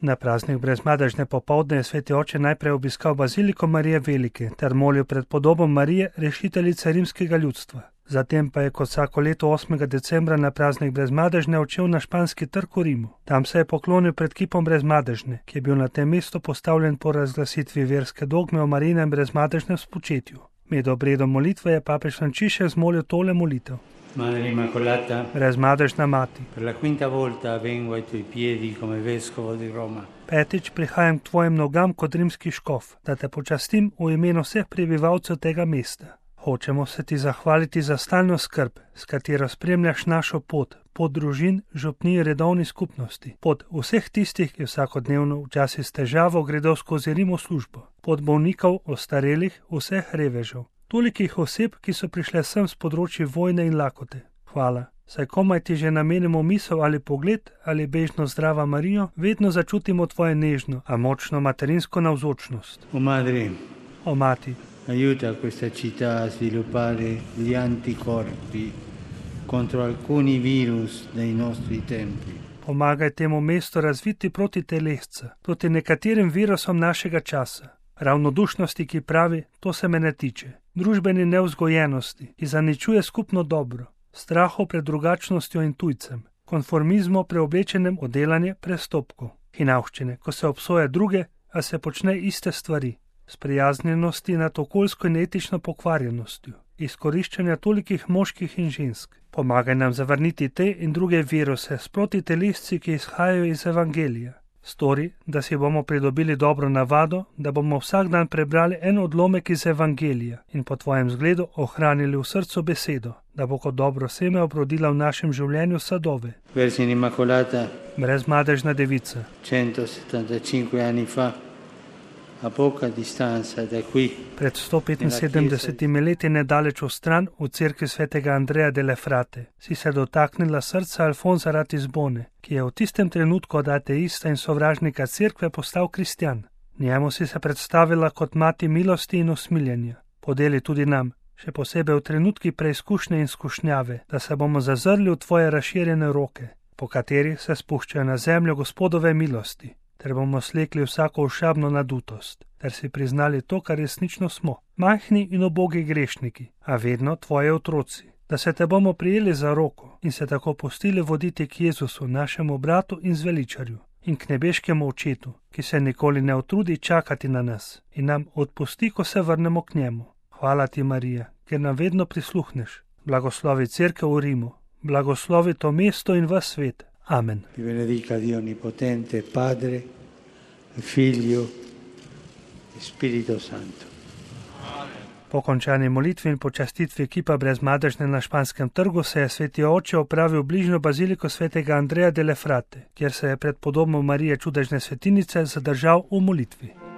Na praznik brezmadežne popoldne je sveti oče najprej obiskal baziliko Marije Velike ter molil pred podobo Marije, rešiteljice rimskega ljudstva. Zatem pa je kot vsako leto 8. decembra na praznik brezmadežne odšel na Španski trg v Rimu. Tam se je poklonil pred kipom brezmadežne, ki je bil na tem mestu postavljen po razglasitvi verske dogme o Marijinem brezmadežnem spočetju. Med obredom molitve je papež Frančišek zmolil tole molitev. Madre Immacolata, Brezmadežna mati, per la quinta volta vengo ai tuoi piedi come vescovo di Roma. 5. prihajam k tvojim nogam kot rimski škof, da te počastim v imenu vseh prebivalcev tega mesta. Hočemo se ti zahvaliti za stalno skrb, s katero spremljaš našo pot družin, župnij in redovni skupnosti, pot vseh tistih, ki vsakodnevno včasih s težavo gredo skozi Rim v službo, pot bolnikov, ostarelih, vseh revežev, tolikih oseb, ki so prišle sem s področji vojne in lakote. Hvala. Saj komaj ti že namenimo misel ali pogled ali bežno zdrava Marijo, vedno začutimo tvoje nežno, a močno materinsko navzočnost. O mati, Aiuta questa città a sviluppare gli anticorpi contro alcuni virus dei nostri tempi. Pomagaj temu mestu razviti proti telesca, proti nekaterim virusom našega časa. Ravnodušnosti, ki pravi, to se me ne tiče. Družbeni nevzgojenosti, ki zaničuje skupno dobro. Strahu pred drugačnostjo in tujcem. Konformizmu preoblečenem v delanje prestopkov. Hinavščine, ko se obsoja druge, a se počne iste stvari. Sprijaznjenosti nad okoljsko in etično pokvarjenostjo, izkoriščanja tolikih moških in žensk. Pomagaj nam zavrniti te in druge viruse s protitelesci, ki izhajajo iz Evangelija. Stori, da si bomo pridobili dobro navado, da bomo vsak dan prebrali en odlomek iz Evangelija in po tvojem zgledu ohranili v srcu besedo, da bo kot dobro seme obrodila v našem življenju sadove. Vergine Immacolata, Brezmadežna devica, 175 anni fa, a poca distanza da qui, pred 175 leti nedaleč v stran v cerkvi svetega Andreja delle Frate, si se dotaknila srca Alfonza Ratisbone, ki je v tistem trenutku od ateista in sovražnika cerkve postal kristjan. Njemu si se predstavila kot mati milosti in usmiljenja. Podeli tudi nam, še posebej v trenutki preizkušnje in skušnjave, da se bomo zazrli v tvoje razširjene roke, po katerih se spuščajo na zemljo Gospodove milosti, ter bomo slekli vsako ošabno nadutost, ter si priznali to, kar resnično smo, majhni in ubogi grešniki, a vedno tvoje otroci, da se te bomo prijeli za roko in se tako pustili voditi k Jezusu, našemu bratu in zveličarju, in k nebeškemu očetu, ki se nikoli ne utrudi čakati na nas in nam odpusti, ko se vrnemo k njemu. Hvala ti, Marija, ker nam vedno prisluhneš. Blagoslovi cerkev v Rimu, blagoslovi to mesto in ves svet. Amen. Vi benedica Dio Onnipotente, Padre, Figlio e Spirito Santo. Po končani molitvi in počastitvi kipa brezmadežne na Španskem trgu se je sveti oče opravil v bližnjo baziliko svetega Andreja delle Frate, kjer se je pred podobo Marije čudežne svetinice zadržal v molitvi.